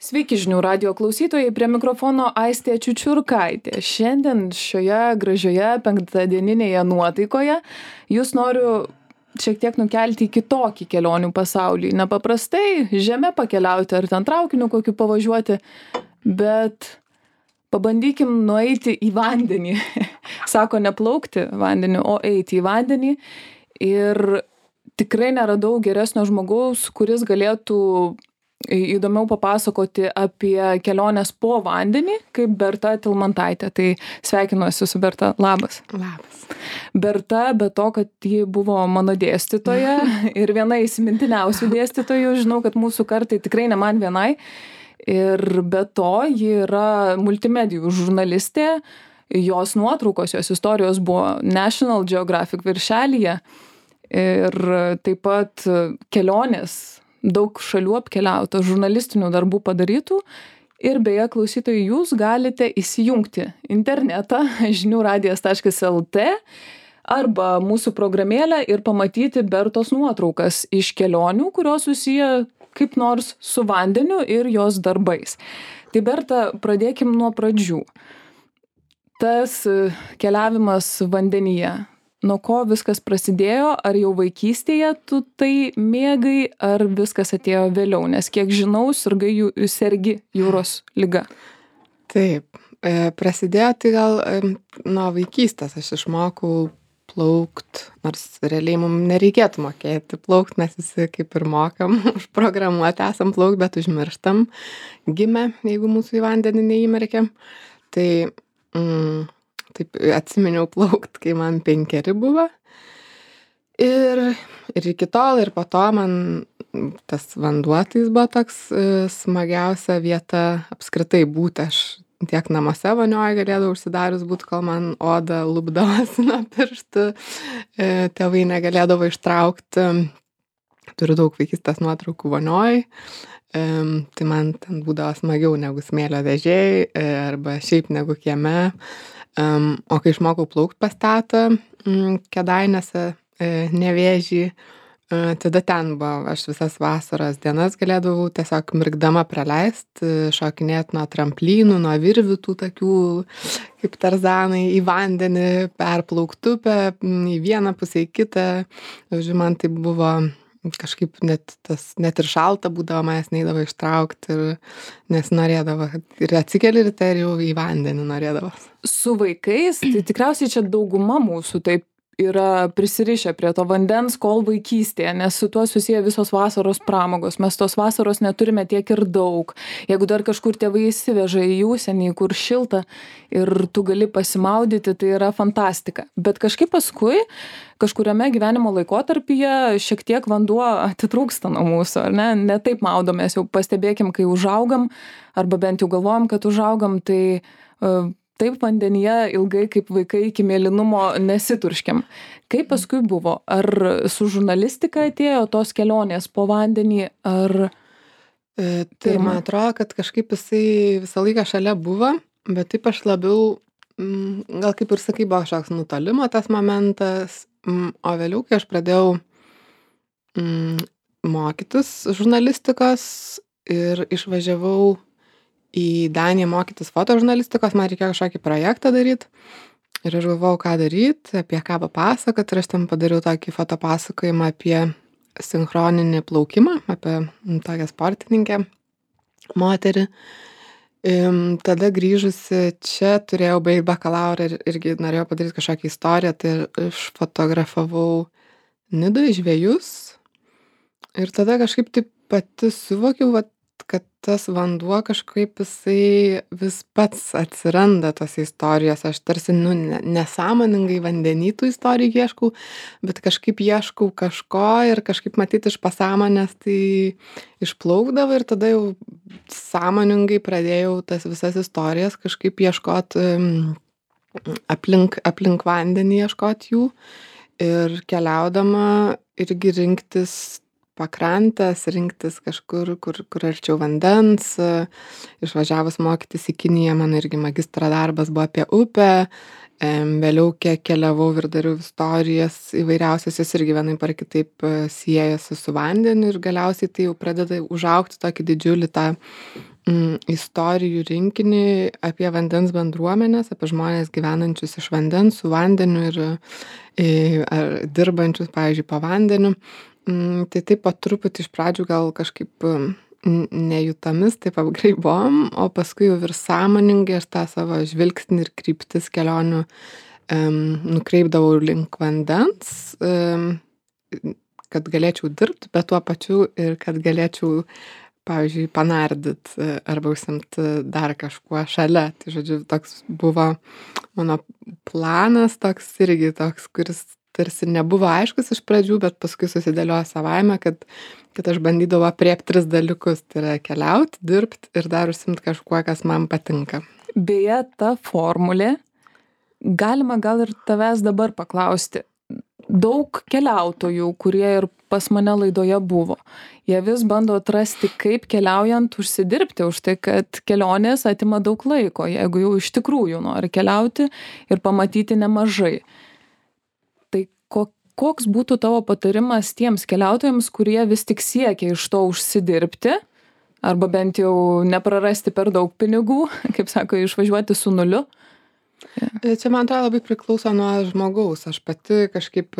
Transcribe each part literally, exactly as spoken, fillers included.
Sveiki žinių radijo klausytojai, prie mikrofono Aistė Čiučiurkaitė. Šiandien šioje gražioje penktadieninėje nuotaikoje jūs noriu šiek tiek nukelti į kitokį kelionių pasaulį. Nepaprastai žeme pakeliauti ar ten traukiniu kokiu pavažiuoti, bet pabandykim nueiti į vandenį. Sako ne plaukti vandeniu, o eiti į vandenį. Ir tikrai neradau geresnio žmogaus, kuris galėtų įdomiau papasakoti apie keliones po vandenį, kaip Berta Tilmantaitė. Tai sveikinuosi su Berta. Labas. Labas. Berta, be to, kad ji buvo mano dėstytoja ir viena įsimintiniausių dėstytojų, žinau, kad mūsų kartai tikrai ne man vienai. Ir be to, ji yra multimedijų žurnalistė, jos nuotraukos, jos istorijos buvo National Geographic viršelyje ir taip pat kelionės, daug šalių apkeliauta, žurnalistinių darbų padarytų. Ir beje, klausytojai, jūs galite įsijungti internetą žinių radijas taškas el tė arba mūsų programėlę ir pamatyti Bertos nuotraukas iš kelionių, kurios susiję kaip nors su vandeniu ir jos darbais. Tai Berta, pradėkim nuo pradžių. Tas keliavimas vandenyje, nuo ko viskas prasidėjo, ar jau vaikystėje tu tai mėgai, ar viskas atėjo vėliau, nes kiek žinau, sirgai jų, sergi jūros liga. Taip, e, prasidėjo tai gal e, nuo vaikystės, aš išmokau plaukt, nors realiai mums nereikėtų mokėti plaukt, mes visi kaip ir mokam, užprogramuoti esam plaukt, bet užmirštam gimę, jeigu mūsų į vandenį neįmerkiam. Tai mm, taip atsiminiau plaukt, kai man penkeri buvo. Ir, ir iki tol, ir po to man tas vanduo tai jis buvo toks e, smagiausia vieta apskritai būti. Aš tiek namuose vonioje galėdavau užsidarius būti, kol man oda lupdavosi nuo pirštų. E, tėvai negalėdavo ištraukti. Turiu daug vaikystės nuotraukų vonioje. E, tai man ten būdavo smagiau negu smėlio dėžėj e, arba šiaip negu kieme. Um, o kai išmokau plaukt pas tetą um, Kėdainiuose, e, Nevėžį, e, tada ten buvo, aš visas vasaros dienas galėdavau tiesiog mirkdama praleisti, šokinėti nuo tramplynų, nuo virvių tų tokių kaip tarzanai į vandenį, perplaukt upę, į vieną pusę, į kitą. Žodžiu, man tai buvo kažkaip net, tas, net ir šalta būdavo, manęs neidavo ištraukti, ir, nes norėdavo, ir atsikeli ryte ir jau į vandenį norėdavo. Su vaikais, tai tikriausiai čia dauguma mūsų taip yra prisirišę prie to vandens kol vaikystėje, nes su tuo susiję visos vasaros pramogos. Mes tos vasaros neturime tiek ir daug. Jeigu dar kažkur tėvai įsiveža į užsienį, kur šilta ir tu gali pasimaudyti, tai yra fantastika. Bet kažkaip paskui, kažkuriame gyvenimo laikotarpyje šiek tiek vanduo atitrūksta nuo mūsų, ar ne? Ne taip maudomės, jau pastebėkim, kai užaugam, arba bent jau galvojam, kad užaugam, tai uh, taip vandenyje ilgai kaip vaikai iki mėlynumo nesiturškiam. Kaip paskui buvo? Ar su žurnalistika atėjo tos kelionės po vandenį, ar... E, tai man atrodo, kad kažkaip jisai visą laiką šalia buvo, bet taip aš labiau, m, gal kaip ir sakai, buvo kažkoks nutolimo tas momentas, m, o vėliau, kai aš pradėjau m, mokytis žurnalistikos ir išvažiavau į Daniją mokytis fotožurnalistikos, man reikėjo kažkokį projektą daryti. Ir aš galvojau, ką daryti, apie ką papasakoti. Ir aš ten padariau tokį fotopasakojimą apie sinchroninį plaukimą, apie tokią sportininkę moterį. Tada grįžusi čia turėjau baigti bakalaurą ir irgi norėjau padaryti kažkokią istoriją. Tai aš fotografavau Nidoje žvejus. Ir tada kažkaip taip pati suvokiau, vat, kad tas vanduo kažkaip jisai vis pats atsiranda tose istorijose. Aš tarsi nu, nesąmoningai vandenį tų istorijų ieškau, bet kažkaip ieškau kažko ir kažkaip matyti iš pasąmonės tai išplaukdavo ir tada jau sąmoningai pradėjau tas visas istorijas kažkaip ieškot aplink, aplink vandenį, ieškot jų ir keliaudama irgi rinktis pakrantes, rinktis kažkur, kur, kur arčiau vandens. Išvažiavus mokytis į Kiniją, mano irgi magistro darbas buvo apie upę. Vėliau kiek keliavau ir dariau istorijas įvairiausias, jis irgi vienaip ar kitaip siejasi su vandeniu ir galiausiai tai jau pradeda užaugti tokį didžiulį tą mm, istorijų rinkinį apie vandens bendruomenės, apie žmonės gyvenančius iš vandens, su vandeniu ir e, ar dirbančius, pavyzdžiui, po vandeniu. Mm, tai taip pat truputį iš pradžių gal kažkaip mm, nejutamis taip apgraibom, o paskui jau ir sąmoningai aš tą savo žvilgsnį ir kryptis kelionių um, nukreipdavau link vandens, um, kad galėčiau dirbti, bet tuo pačiu ir kad galėčiau, pavyzdžiui, panardyt e, arba užsiimti dar kažkuo šalia. Tai žodžiu, toks buvo mano planas, toks irgi toks, kuris tarsi nebuvo aiškus iš pradžių, bet paskui susidėliojo savaime, kad, kad aš bandydavau apriepti tris dalykus. Tai yra keliauti, dirbti ir dar užsiimti kažkuo, kas man patinka. Beje, ta formulė, galima gal ir tavęs dabar paklausti. Daug keliautojų, kurie ir pas mane laidoje buvo, jie vis bando atrasti, kaip keliaujant užsidirbti už tai, kad kelionės atima daug laiko, jeigu jau iš tikrųjų nori keliauti ir pamatyti nemažai. Tai ko, koks būtų tavo patarimas tiems keliautojams, kurie vis tik siekia iš to užsidirbti, arba bent jau neprarasti per daug pinigų, kaip sako, išvažiuoti su nuliu? Ja. Čia man atrodo labai priklauso nuo žmogaus. Aš pati kažkaip,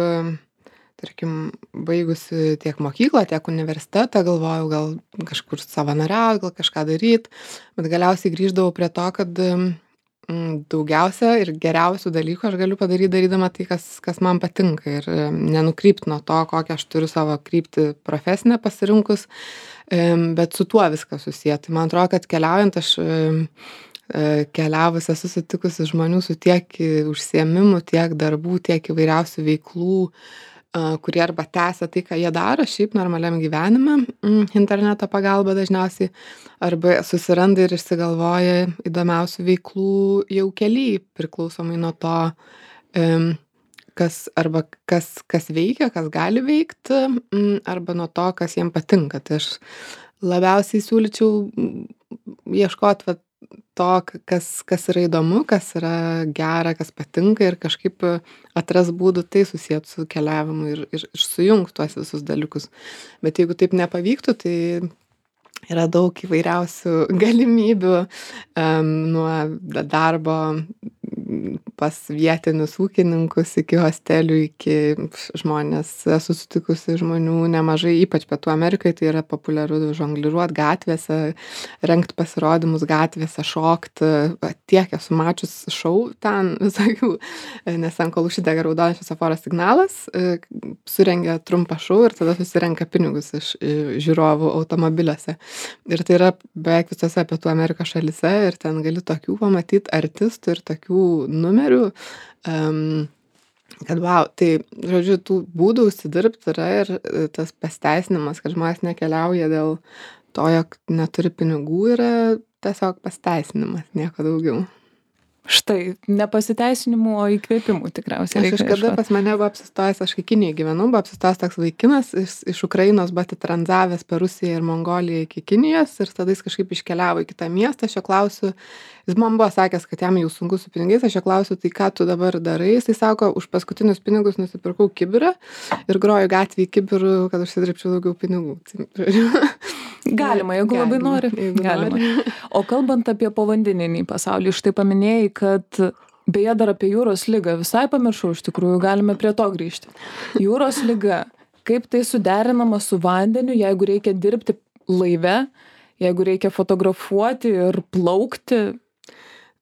tarkim, baigusi tiek mokyklą, tiek universitetą, galvojau gal kažkur savanoriauti, gal kažką daryti, bet galiausiai grįždavau prie to, kad mm, daugiausia ir geriausių dalykų aš galiu padaryti darydama tai, kas, kas man patinka ir nenukrypti nuo to, kokią aš turiu savo kryptį profesinę pasirinkus, bet su tuo viskas susiję. Tai man atrodo, kad keliaujant aš keliavus esu sutikusi žmonių su tiek užsiėmimų, tiek darbų, tiek įvairiausių veiklų, kurie arba tęsia tai, ką jie daro šiaip normaliam gyvenime, interneto pagalba dažniausiai, arba susiranda ir išsigalvoja įdomiausių veiklų jau kely, priklausomai nuo to, kas, arba kas, kas veikia, kas gali veikti, arba nuo to, kas jiem patinka. Tai aš labiausiai siūlyčiau ieškoti vat, to, kas, kas yra įdomu, kas yra gera, kas patinka ir kažkaip atras būdų tai susijęti su keliavimu ir, ir, ir sujungti tuos visus dalykus. Bet jeigu taip nepavyktų, tai yra daug įvairiausių galimybių um, nuo darbo pas vietinius ūkininkus iki hostelių, iki žmonės, esu sutikusi žmonių nemažai, ypač Pietų Amerikai, tai yra populiaru žongliruot gatvėse, rengti pasirodymus gatvėse, šokti, tiek esu mačius šou ten visokių, nes ant kol užsidega raudonas šviesoforo signalas, surengia trumpą šou ir tada susirenka pinigus iš žiūrovų automobiliuose. Ir tai yra beveik visose Pietų Amerikos šalyse ir ten gali tokių pamatyti artistų ir tokių numerių, um, kad wow, tai, žodžiu, tų būdų užsidirbti yra ir tas pasiteisinimas, kad žmonės nekeliauja dėl to, jog neturi pinigų, yra tiesiog pasiteisinimas, nieko daugiau. Štai, ne pasiteisinimų, o įkvėpimų tikriausiai. Aš kažkada pas mane buvo apsistojęs, aš kai Kinijai gyvenau, buvo apsistojęs toks vaikinas, iš, iš Ukrainos buvo atitranzavęs per Rusiją ir Mongoliją iki Kinijos ir tada jis kažkaip iškeliavo į kitą miestą, aš jo klausiu, jis man buvo sakęs, kad jam jau sunku su pinigais, aš jo klausiu, tai ką tu dabar darai, jis sako, už paskutinius pinigus nusipirkau kibirą ir groju gatvėje kibirų, kad užsidirbčiau daugiau pinigų. Galima, jeigu labai nori. Galima. O kalbant apie povandeninį pasaulį, štai paminėjai, kad beje dar apie jūros ligą visai pamiršau, iš tikrųjų galime prie to grįžti. Jūros liga, kaip tai suderinama su vandeniu, jeigu reikia dirbti laive, jeigu reikia fotografuoti ir plaukti?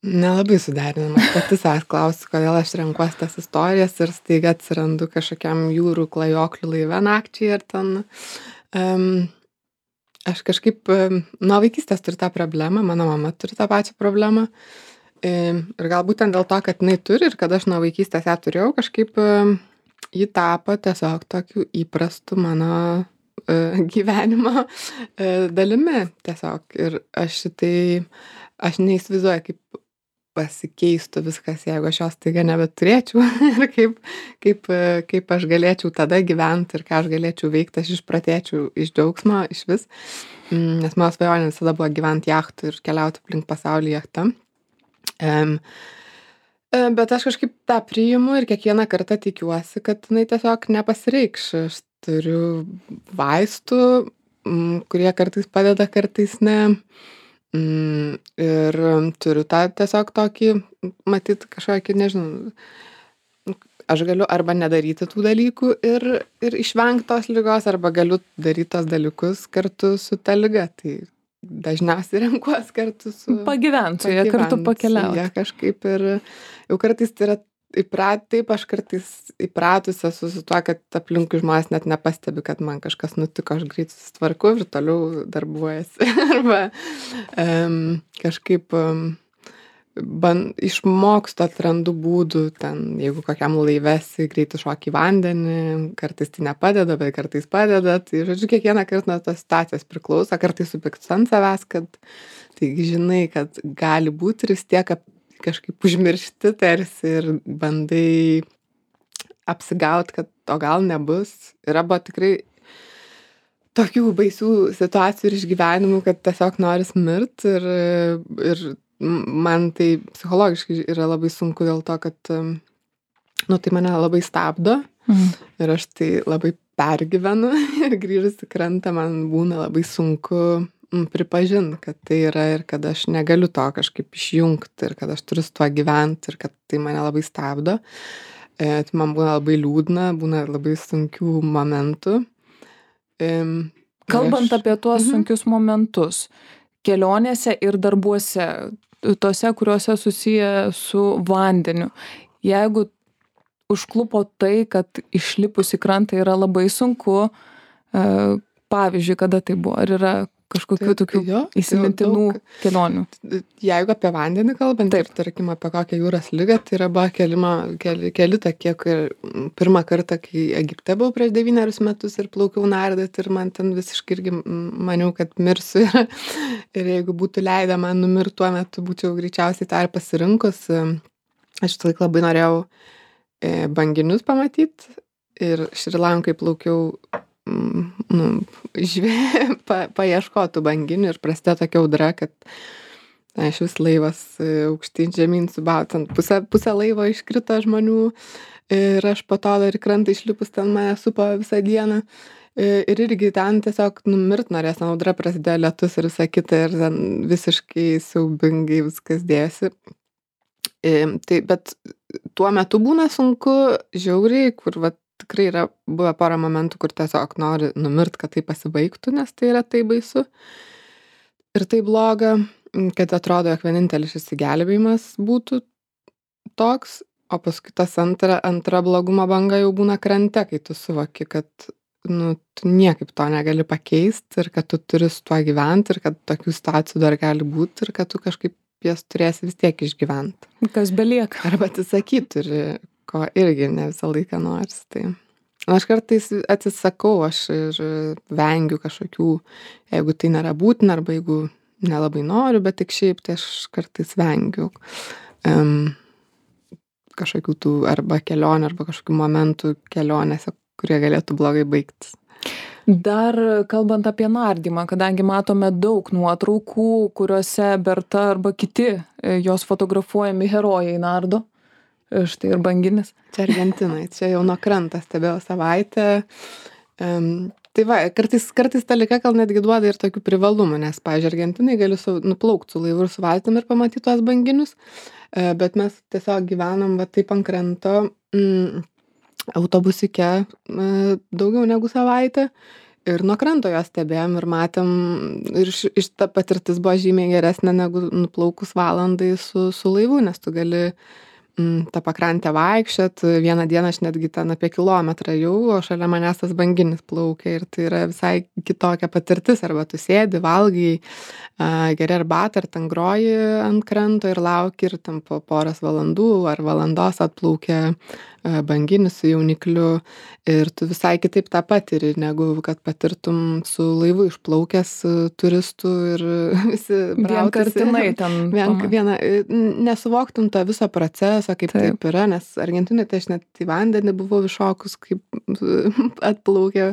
Nelabai suderinama. Pati savęs klausiu, kodėl aš renkuosi tas istorijas ir staiga atsirandu kažkokiam jūrų klajoklių laive nakčiai ir ten... Um, Aš kažkaip nuo vaikystės turiu tą problemą, mano mama turi tą pačią problemą ir galbūt ten dėl to, kad jinai turi ir kad aš nuo vaikystės ją turėjau, kažkaip ji tapo tiesiog tokiu įprastu mano gyvenimo dalimi tiesiog ir aš šitai, aš neįsivaizduoju, kaip pasikeistų viskas, jeigu aš jos taiga nebeturėčiau ir kaip, kaip, kaip aš galėčiau tada gyventi ir ką aš galėčiau veikti, aš išpratėčiau iš džiaugsmo iš vis, nes mano svajonė visada buvo gyventi jachtų ir keliauti aplink pasaulį jachtą. Um, bet aš kažkaip tą priimu ir kiekvieną kartą tikiuosi, kad jinai tiesiog nepasireikš. Aš turiu vaistų, kurie kartais padeda, kartais ne. Mm, ir turiu tą tiesiog tokį, matyt, kažkokį, nežinau, aš galiu arba nedaryti tų dalykų ir, ir išvengti tos ligos, arba galiu daryti tos dalykus kartu su ta liga. Tai dažniausiai renkuos kartu su... Pagyvent su ja, kartu pakeliauti. Ja, kažkaip ir jau kartais tai yra įprat, taip aš kartais įpratusi esu su tuo, kad aplinkui žmonės net nepastebi, kad man kažkas nutiko, aš greit susitvarku ir toliau darbuojasi. Arba um, kažkaip um, ban, išmokstu, atrandu būdų, ten, jeigu kokiam laivesi, greit iššoki į vandenį, kartais tai nepadeda, bet kartais padeda. Tai, žodžiu, kiekvieną kartą nuo tos situacijos priklauso, kartais supykstu ant savęs, kad taigi žinai, kad gali būti ir vis tiek kažkaip užmiršti tarsi ir bandai apsigauti, kad o gal nebus. Yra buvo tikrai tokių baisių situacijų ir išgyvenimų, kad tiesiog noris mirt ir, ir man tai psichologiškai yra labai sunku dėl to, kad nu, tai mane labai stabdo mhm. ir aš tai labai pergyvenu ir grįžus į krantą man būna labai sunku pripažinti, kad tai yra ir kad aš negaliu to kažkaip išjungti ir kad aš turiu su tuo gyventi ir kad tai mane labai stabdo. E, tai man būna labai liūdna, būna labai sunkių momentų. E, Kalbant aš... apie tuos mhm. sunkius momentus, kelionėse ir darbuose, tose, kuriuose susiję su vandeniu, jeigu užklupo tai, kad išlipus į krantą yra labai sunku, e, pavyzdžiui, kada tai buvo, ar yra kažkokių tai, tokių jo, įsimintinų daug, kelionių. Jeigu apie vandenį kalbant, taip, ir tarkim apie kokią jūros ligą, tai yra buvo kelima, keli, keli tokie, kai pirmą kartą, kai Egipte buvau prieš devynerius metus ir plaukiau nardyti ir man ten visiškai irgi maniau, kad mirsiu. Ir, ir jeigu būtų leidę man numirti tuo metu, būčiau greičiausiai tą ir pasirinkus. Aš tą laiką labai norėjau banginius pamatyti ir Šri Lankai plaukiau nu, žvė, pa, paieškotų banginių ir prasidėjo tokia audra, kad na, iš vis laivas aukštyn žemyn subautant. Pusę, pusę laivo iškrito žmonių ir aš po to dar į krantą išlipus ten mane supo visą dieną. Ir irgi ten tiesiog numirt norės, ten audra prasidėjo, lietus ir visa kita ir ten visiškai siaubingai viskas dėsi. Tai, bet tuo metu būna sunku, žiauriai, kur vat, tikrai yra buvę porą momentų, kur tiesiog nori numirt, kad tai pasibaigtų, nes tai yra tai baisu. Ir tai bloga, kad atrodo, jog vienintelis išsigelbėjimas būtų toks, o paskui tas antra, antra blogumo banga jau būna krante, kai tu suvoki, kad nu, tu niekaip to negali pakeisti ir kad tu turi su tuo gyventi ir kad tokių situacijų dar gali būti ir kad tu kažkaip jas turėsi vis tiek išgyventi. Kas belieka. Arba atsisakyti ir ko irgi ne visą laiką noris. Tai aš kartais atsisakau, aš ir vengiu kažkokių, jeigu tai nėra būtina, arba jeigu nelabai noriu, bet tik šiaip, tai aš kartais vengiu um, kažkokių tų arba kelionių, arba kažkokių momentų kelionėse, kurie galėtų blogai baigtis. Dar kalbant apie nardymą, kadangi matome daug nuotraukų, kuriuose Berta arba kiti jos fotografuojami herojai nardo. Štai ir banginis. Čia Argentinai, čia jau nuo krantą stebėjau savaitę. Um, tai va, kartais, kartais ta liga gal netgi duoda ir tokių privalumų, nes, pavyzdžiui, Argentinai gali su, nuplaukti su laivu ir su valtim ir pamatyti tuos banginius, uh, bet mes tiesiog gyvenam va taip ant kranto mm, autobusike uh, daugiau negu savaitę. Ir nuo kranto jos stebėjom ir matėm, ir iš, iš ta patirtis buvo žymiai geresnė negu nuplaukus valandai su, su laivu, nes tu gali mm, tą pakrantę vaikščiot. Vieną dieną aš netgi ten apie kilometrą jau, o šalia manęs tas banginis plaukia ir tai yra visai kitokia patirtis. Arba tu sėdi, valgai, uh, geri arbatą, ar ten groji ant kranto ir lauki ir tam po poros valandų ar valandos atplaukia uh, banginis su jaunikliu ir tu visai kitaip tą patiri, negu kad patirtum su laivu išplaukęs turistų ir visi vienkartinai ten. Vien, viena, nesuvoktum tą viso proceso, kaip taip, taip yra, nes Argentinai tai aš net į vandenį buvau iššokus, kaip atplaukė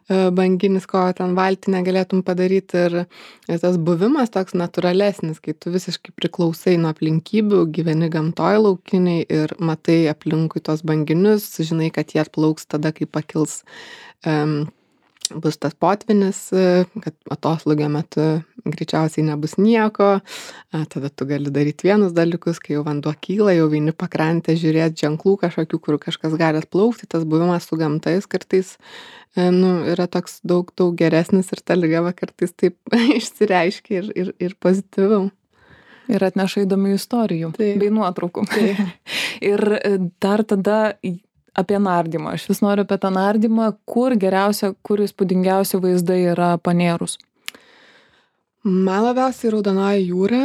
banginis, ko ten valtį negalėtum padaryti ir, ir tas buvimas toks natūralesnis, kai tu visiškai priklausai nuo aplinkybių, gyveni gamtoj laukiniai ir matai aplinkui tos banginius, žinai, kad jie atplauks tada, kai pakils um, bus tas potvynis, kad atoslūgio metu greičiausiai nebus nieko, tada tu gali daryti vienus dalykus, kai jau vanduo kyla, jau eini pakrantę žiūrėti ženklų kažkokių, kur kažkas gali atplaukti, tas buvimas su gamta jis kartais nu, yra toks daug, daug geresnis ir ta lyga kartais taip išsireiškia ir, ir, ir pozityviau. Ir atneša įdomių istorijų Taip. bei nuotraukų. Taip. Ir dar tada apie nardymą. Aš vis noriu apie tą nardymą, kur geriausia, kur įspūdingiausi vaizdai yra panėrus. Man labiausiai Raudonoji jūra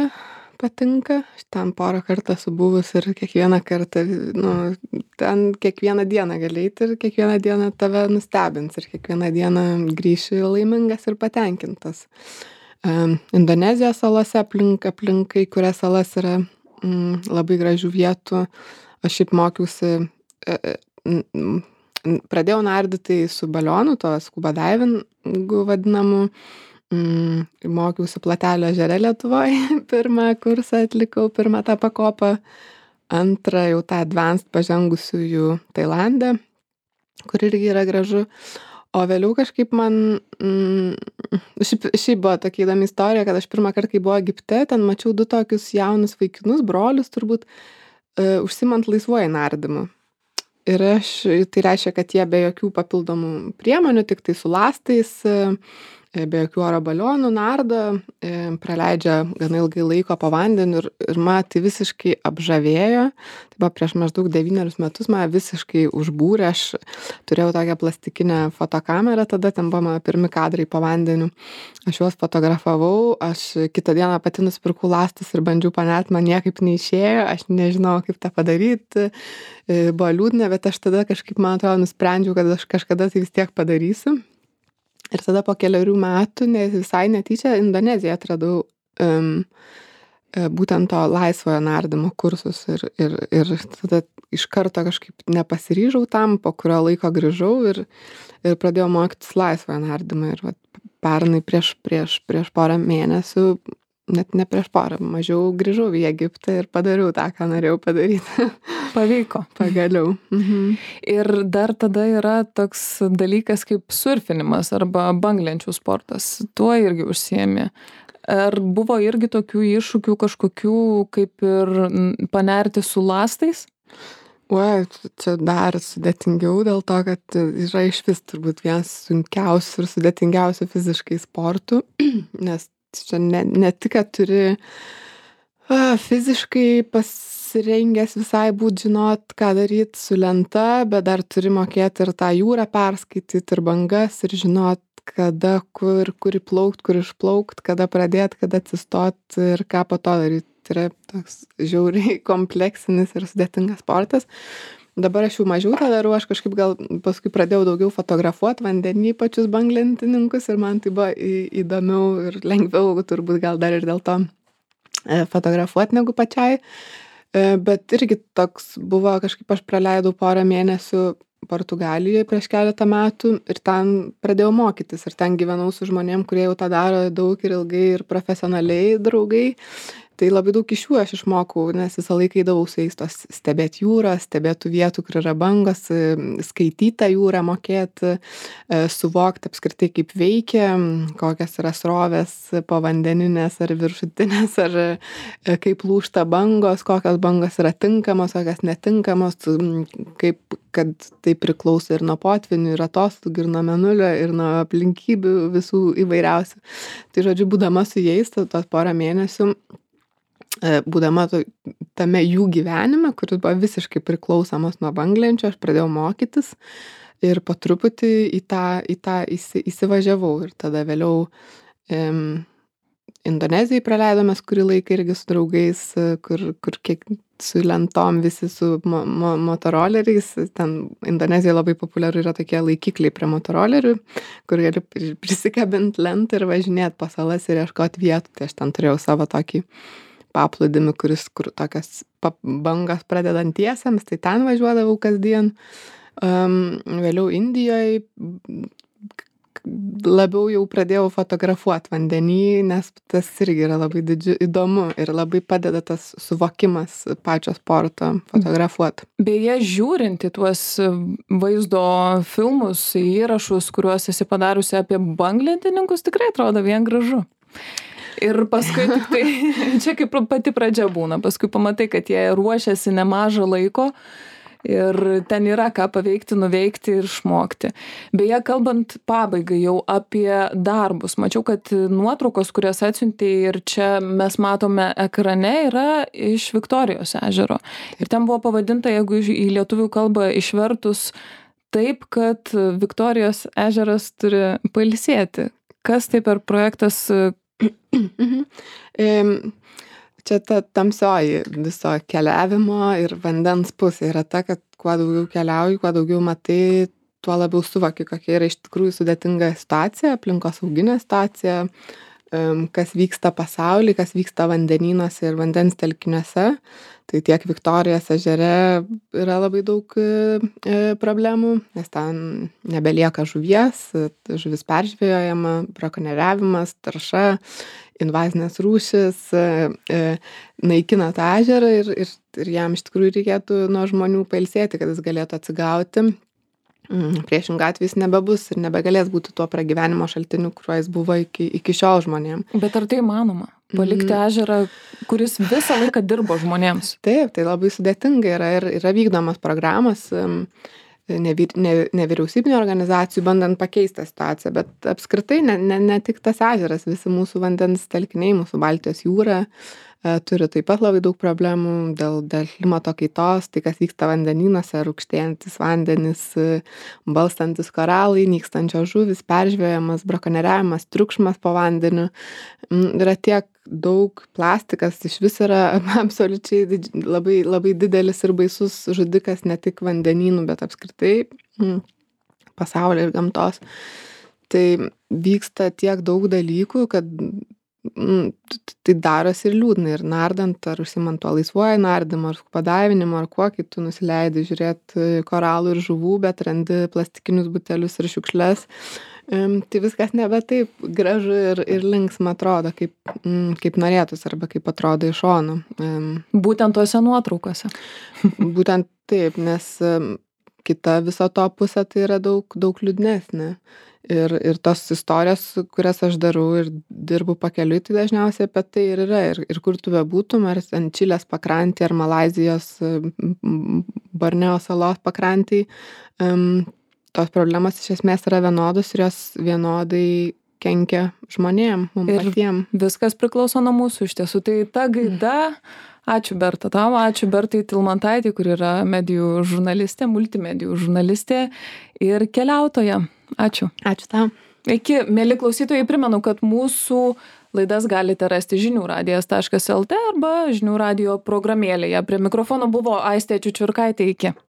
patinka. Aš ten porą kartą esu buvus ir kiekvieną kartą, nu, ten kiekvieną dieną gali eiti ir kiekvieną dieną tave nustebins ir kiekvieną dieną grįši laimingas ir patenkintas. Um, Indonezijos salose aplink, aplink kai kurias salas yra mm, labai gražių vietų. Aš šiaip mokiausi, e, m, pradėjau nardyti su balionu, to scuba divingu vadinamu. Mm, mokiausi Platelio ežere Lietuvoje, pirmą kursą atlikau, pirmą tą pakopą, antrą jau tą advanced pažengusiųjų Tailande, kur irgi yra gražu. O vėliau kažkaip man, mm, šiaip, šiaip buvo tokia įdomi istorija, kad aš pirmą kartą, kai buvo Egipte, ten mačiau du tokius jaunus vaikinus, brolius turbūt, uh, užsimant laisvuoju nardymu. Ir aš, tai reiškia, kad jie be jokių papildomų priemonių, tik tai su lastais, uh, be jokių oro balionų nardo, uh, praleidžia gana ilgai laiko po vandeniu ir, ir man tai visiškai apžavėjo. Tai buvo prieš maždaug devynerius metus, man visiškai užbūrė. Aš turėjau tokią plastikinę fotokamerą, tada ten buvo mano pirmi kadrai po vandeniu. Aš juos fotografavau, aš kitą dieną pati nusipirkau lastus ir bandžiau panert, man niekaip neišėjo, aš nežinau, kaip tą padaryti. Buvo liūdna, bet aš tada kažkaip, man atrodo, nusprendžiau, kad aš kažkada tai vis tiek padarysiu. Ir tada po keliarių metų, ne, visai netyčia, Indoneziją atradau um, būtent to laisvojo nardymo kursus ir, ir, ir tada iš karto kažkaip nepasiryžau tam, po kurio laiko grįžau ir, ir pradėjau mokytis laisvojo nardymą. Ir vat, pernai prieš, prieš, prieš porą mėnesių, net ne prieš porą, mažiau grįžau į Egiptą ir padariau tą, ką norėjau padaryti. Pavyko. Pagaliau. Mhm. Ir dar tada yra toks dalykas kaip surfinimas arba banglenčių sportas. Tuo irgi užsiėmė. Ar buvo irgi tokių iššūkių kažkokių, kaip ir panerti su lastais? Oi, čia dar sudėtingiau dėl to, kad yra iš vis turbūt vienas sunkiausių ir sudėtingiausių fiziškai sportų, nes čia ne, ne tik, kad turi a, fiziškai pasirengęs visai būt žinot, ką daryti su lenta, bet dar turi mokėti ir tą jūrą perskaityti ir bangas ir žinot, kada, kur, kur įplaukt, kur išplaukt, kada pradėt, kada atsistot ir ką po to daryti. Tai yra toks žiauriai kompleksinis ir sudėtingas sportas. Dabar aš jau mažiau tą darau, aš kažkaip gal paskui pradėjau daugiau fotografuoti vandenį pačius banglentininkus ir man tai buvo į, įdomiau ir lengviau, turbūt gal dar ir dėl to e, fotografuoti negu pačiai. E, bet irgi toks buvo, kažkaip aš praleidau porą mėnesių Portugalijoje prieš keletą metų ir ten pradėjau mokytis ir ten gyvenau su žmonėm, kurie jau tą daro daug ir ilgai ir profesionaliai draugai. Tai labai daug iš jų aš išmokau, nes visą laiką eidavau su jais tos stebėti jūrą, stebėti vietų, kur yra bangos, skaityti tą jūrą, mokėti, suvokti apskritai, kaip veikia, kokios yra srovės povandeninės ar viršutinės, ar kaip lūžta bangos, kokios bangos yra tinkamos, kokios netinkamos, kaip, kad tai priklauso ir nuo potvinių, ir atostogų, ir nuo mėnulio, ir nuo aplinkybių visų įvairiausių. Tai žodžiu, būdama su jais, tos porą mėnesių, būdama tame jų gyvenime, kuris buvo visiškai priklausomas nuo banglenčio, aš pradėjau mokytis ir po truputį į tą, į tą įsi, įsivažiavau. Ir tada vėliau um, Indonezijai praleidome kurį laiką irgi su draugais, kur, kur kiek su lentom, visi su mo, mo, motoroleriais. Ten Indonezijoje labai populiaru yra tokie laikikliai prie motorolerių, kur gali prisikabinti lentą ir važinėti po salas ir ieškoti vietų. Tai aš ten turėjau savo tokį paplūdimį, kuris, kur tokias bangas pradedantiesiems, tai ten važiuodavau kasdien. Um, vėliau Indijoje labiau jau pradėjau fotografuot vandenį, nes tas irgi yra labai didžiu, įdomu ir labai padeda tas suvokimas pačio sporto fotografuot. Beje, žiūrint į tuos vaizdo filmus, įrašus, kuriuos esi padariusi apie banglentininkus, tikrai atrodo vien gražu. Ir paskui tik tai, čia kaip pati pradžia būna, paskui pamatai, kad jie ruošiasi nemažą laiko ir ten yra ką paveikti, nuveikti ir išmokti. Beje, kalbant pabaigai jau apie darbus, mačiau, kad nuotraukos, kurias atsiuntei ir čia mes matome ekrane, yra iš Viktorijos ežero. Ir ten buvo pavadinta, jeigu į lietuvių kalbą išvertus, taip, kad Viktorijos ežeras turi pailsėti. Kas tai per projektas? Čia ta tamsioji viso keliavimo ir vandens pusė yra ta, kad kuo daugiau keliauji, kuo daugiau matai, tuo labiau suvoki, kokia yra iš tikrųjų sudėtinga situacija, aplinkosauginė situacija, kas vyksta pasaulyje, kas vyksta vandenynuose ir vandens telkiniuose. Tai tiek Viktorijos ežere yra labai daug problemų, nes ten nebelieka žuvies, žuvis peržvejojama, brakonieriavimas, tarša, invazinės rūšis, naikina tą ežerą ir, ir, ir jam iš tikrųjų reikėtų nuo žmonių pailsėti, kad jis galėtų atsigauti. Priešingą atveju jis nebebus ir nebegalės būti tuo pragyvenimo šaltiniu, kuriuo jis buvo iki, iki šiol žmonėm. Bet ar tai įmanoma? Palikti mm. ežerą, kuris visą laiką dirbo žmonėms? Taip, tai labai sudėtinga yra ir yra vykdomas programos nevyr, ne, nevyriausybinio organizacijų bandant pakeisti situaciją, bet apskritai ne, ne, ne tik tas ežeras, visi mūsų vandens telkiniai, mūsų Baltijos jūra turi taip pat labai daug problemų dėl, dėl klimato kaitos, tai kas vyksta vandenynuose, rūgštėjantis vandenys, balstantis koralai, nykstančios žuvis, peržvėjamas, brakonieriavimas, triukšmas po vandeniu. Yra tiek daug, plastikas iš vis yra absoliučiai labai, labai didelis ir baisus žudikas ne tik vandenynų, bet apskritai pasaulio ir gamtos. Tai vyksta tiek daug dalykų, kad tai darosi ir liūdna ir nardant, ar užsimant tuo laisvuoju nardymu, ar padavinimu, ar kuo, kai tu nusileidi žiūrėti koralų ir žuvų, bet randi plastikinius butelius ir šiukšles, tai viskas nebe taip gražu ir, ir linksma atrodo, kaip, kaip norėtus arba kaip atrodo iš šono. Būtent tuose nuotraukose. Būtent taip, nes kita viso to pusė tai yra daug, daug liūdnesnė. Ir, ir tos istorijos, kurias aš darau ir dirbu pakeliui, tai dažniausiai apie tai ir yra. Ir, ir kur tu bebūtum, ar ant Čilės pakrantį, ar Malaizijos Borneo salos pakrantį, um, tos problemos iš esmės yra vienodos ir jos vienodai kenkia žmonėm, mums patiem. Viskas priklauso nuo mūsų iš tiesų. Tai ta gaida, ačiū Berta tau, ačiū Bertai Tilmantaitei, kur yra medijų žurnalistė, multimedijų žurnalistė ir keliautoja. Ačiū. Ačiū tau. Iki, mėly klausytojai, primenu, kad mūsų laidas galite rasti žinių radijas taškas el tė arba žinių radijo programėlėje. Prie mikrofono buvo Aistė Čiučiurkaitė. Iki.